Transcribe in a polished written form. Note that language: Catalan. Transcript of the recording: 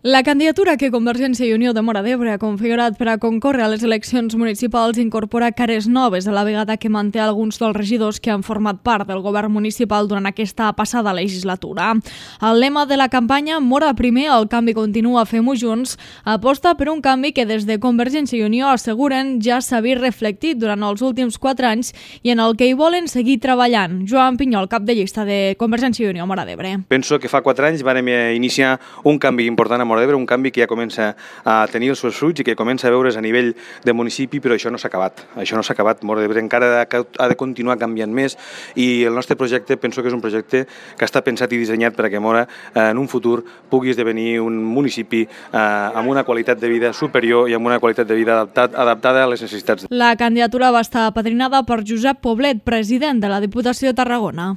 La candidatura que Convergència i Unió de Móra d'Ebre ha configurat per a concórrer a les eleccions municipals incorpora cares noves, a la vegada que manté alguns dels regidors que han format part del govern municipal durant aquesta passada legislatura. El lema de la campanya, Móra primer, el canvi continua, fem-ho junts, aposta per un canvi que des de Convergència i Unió asseguren ja s'ha vist reflectit durant els últims 4 anys i en el que hi volen seguir treballant. Joan Pinyol, cap de llista de Convergència i Unió Móra d'Ebre. Penso que fa 4 anys vam iniciar un canvi important a Móra d'Ebre, un canvi que ja comença a tenir els seus fruits i que comença a veure's a nivell de municipi, però això no s'ha acabat. Això no s'ha acabat. Móra d'Ebre encara ha de continuar canviant més i el nostre projecte penso que és un projecte que està pensat i dissenyat perquè Móra en un futur pugui esdevenir un municipi amb una qualitat de vida superior i amb una qualitat de vida adaptada a les necessitats. La candidatura va estar apadrinada per Josep Poblet, president de la Diputació de Tarragona.